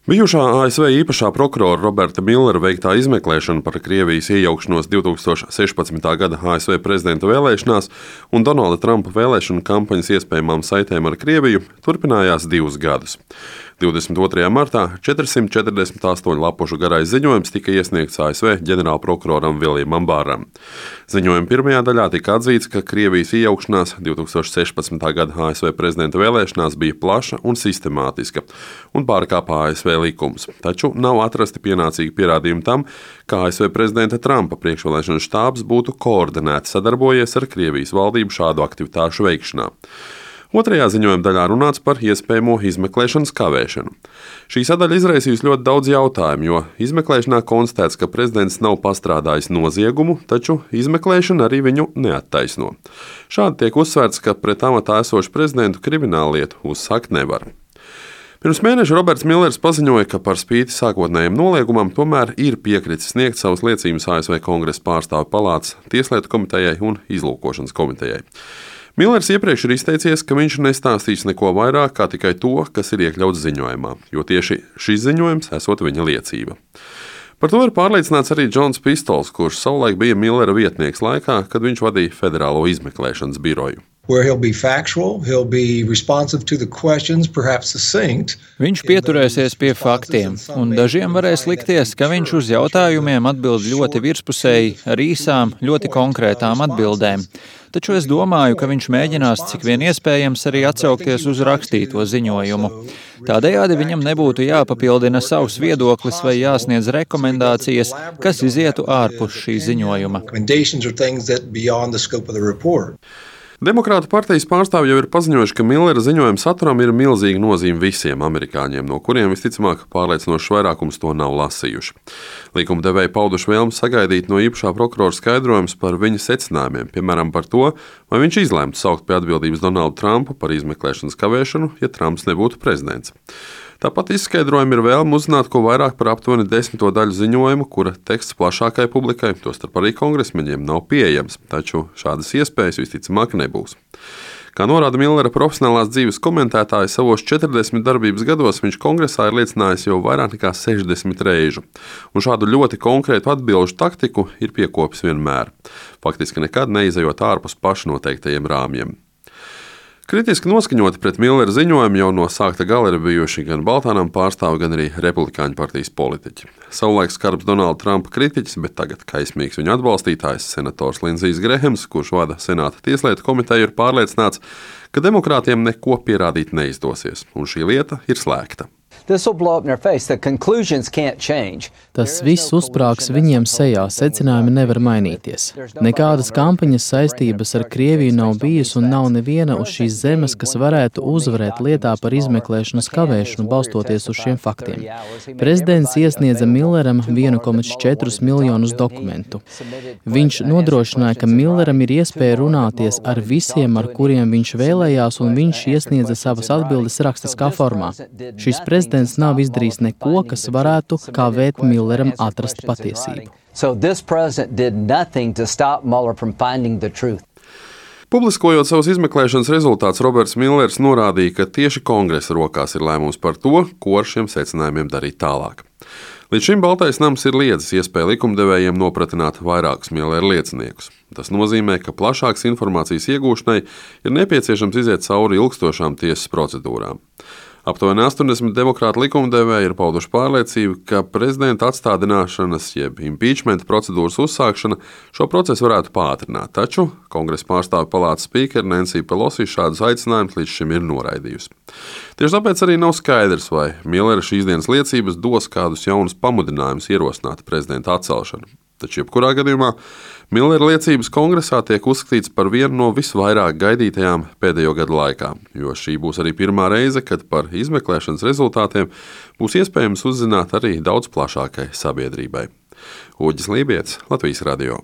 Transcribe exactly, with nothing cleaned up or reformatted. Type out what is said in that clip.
Bijušā A S V īpašā prokurora Roberta Millera veiktā izmeklēšana par Krievijas iejaukšanos divtūkstoš sešpadsmitā gada A S V prezidenta vēlēšanās un Donalda Trumpa vēlēšanu kampaņas iespējamām saitēm ar Krieviju turpinājās divus gadus. divdesmit otrajā martā četrsimt četrdesmit astoņu lapušu garais ziņojums tika iesniegts A S V ģenerālprokuroram Viljamam Bāram. Ziņojuma pirmajā daļā tika atzīts, ka Krievijas iejaukšanās divtūkstoš sešpadsmitā gada A S V prezidenta vēlēšanās bija plaša un sistemātiska un pārkāpa A S V likumus, taču nav atrasti pienācīgi pierādījumi tam, ka A S V prezidenta Trumpa priekšvēlēšanu štābs būtu koordinēti sadarbojies ar Krievijas valdību šādu aktivitāšu veikšanā. Otrajā ziņojuma daļā runāts par iespējamo izmeklēšanas kavēšanu. Šī sadaļa izraisījusi ļoti daudz jautājumu, jo izmeklēšanā konstatēts, ka prezidents nav pastrādājis noziegumu, taču izmeklēšana arī viņu neattaisno. Šādi tiek uzsvērts, ka pret amatā esošu prezidentu krimināllietu uzsākt nevar. Pirms mēneša Roberts Millers paziņoja, ka par spīti sākotnējiem noliegumam tomēr ir piekritis sniegt savas liecības A S V Kongresa pārstāvju palātas Tieslietu komitejai un Izlūkošanas komitejai. Millers iepriekš ir izteicies, ka viņš nestāstīs neko vairāk kā tikai to, kas ir iekļauts ziņojumā, jo tieši šis ziņojums esot viņa liecība. Par to ir pārliecināts arī Džons Pistols, kurš savulaik bija Millera vietnieks laikā, kad viņš vadīja Federālo izmeklēšanas biroju. Where he'll be factual, he'll be responsive to the questions, perhaps succinct. Viņš pieturēsies pie faktiem, un dažiem varēs likties, ka viņš uz jautājumiem atbild ļoti virspusēji, ar īsām, ļoti konkrētām atbildēm. Taču es domāju, ka viņš mēģinās cik vien iespējams arī atsaukties uz rakstīto ziņojumu. Tādējādi viņam nebūtu jāpapildina savs viedoklis vai jāsniedz rekomendācijas, kas izietu ārpus šī ziņojuma. Demokrātu partijas pārstāvji jau ir paziņojuši, ka Millera ziņojuma saturam ir milzīga nozīme visiem amerikāņiem, no kuriem visticamāk pārliecinošs vairākums to nav lasījuši. Likumdevēji pauduši vēlmi sagaidīt no īpašā prokurora skaidrojumus par viņa secinājumiem, piemēram par to, vai viņš izlēmtu saukt pie atbildības Donaldu Trumpu par izmeklēšanas kavēšanu, ja Trumps nebūtu prezidents. Tāpat izskaidrojumi ir vēlme uzzināt ko vairāk par aptuveni desmito daļu ziņojumu, kura teksts plašākai publikai, tostarp arī kongresmeņiem, nav pieejams, taču šādas iespējas visticamāk nebūs. Kā norāda Millera profesionālās dzīves komentētāji, savos četrdesmit darbības gados viņš kongresā ir liecinājis jau vairāk nekā sešdesmit reižu, un šādu ļoti konkrētu atbilžu taktiku ir piekopis vienmēr, faktiski nekad neizejot ārpus pašnoteiktajiem rāmjiem. Kritiski noskaņoti pret Millera ziņojumu jau no sākta gala ir bijuši gan Baltānam pārstāvi, gan arī Republikāņu partijas politiķi. Savulaik skarbs Donalda Trumpa kritiķis, bet tagad kaismīgs viņa atbalstītājs, senators Lindsijs Grehams, kurš vada Senāta Tieslietu komiteju, ir pārliecināts, ka demokrātiem neko pierādīt neizdosies, un šī lieta ir slēgta. Tas viss uzsprāgs viņiem sejā, secinājumi nevar mainīties. Nekādas kampaņas saistības ar Krieviju nav bijis un nav neviena uz šīs zemes, kas varētu uzvarēt lietā par izmeklēšanas kavēšanu, balstoties uz šiem faktiem. Prezidents iesniedza Milleram viens komats četri miljonus dokumentu. Viņš nodrošināja, ka Milleram ir iespēja runāties ar visiem, ar kuriem viņš vēlējās, un viņš iesniedza savas atbildes rakstiskā formā. Šis prezidents nav izdarījis neko, kas varētu kavēt Milleram atrast patiesību. Publiskojot savus izmeklēšanas rezultātus, Roberts Millers norādīja, ka tieši kongresa rokās ir lēmums par to, ko ar šiem secinājumiem darīt tālāk. Līdz šim Baltais nams ir liedzis iespēju likumdevējiem nopratināt vairākus Millera lieciniekus. Tas nozīmē, ka plašākas informācijas iegūšanai ir nepieciešams iziet cauri ilgstošām tiesas procedūrām. Aptuveni astoņdesmit demokrātu likumdevēji ir pauduši pārliecību, ka prezidenta atstādināšanas jeb impeachment procedūras uzsākšana šo procesu varētu pātrināt, taču Kongresa pārstāvju palātas spīkere Nancy Pelosi šādus aicinājumus līdz šim ir noraidījusi. Tieši tāpēc arī nav skaidrs, vai Millera šīs dienas liecības dos kādus jaunus pamudinājumus ierosināt prezidenta atcelšanu. Taču jebkurā gadījumā Millera liecības kongresā tiek uzskatīts par vienu no visvairāk gaidītajām pēdējo gadu laikā, jo šī būs arī pirmā reize, kad par izmeklēšanas rezultātiem būs iespējams uzzināt arī daudz plašākai sabiedrībai. Uģis Lībietis, Latvijas radio.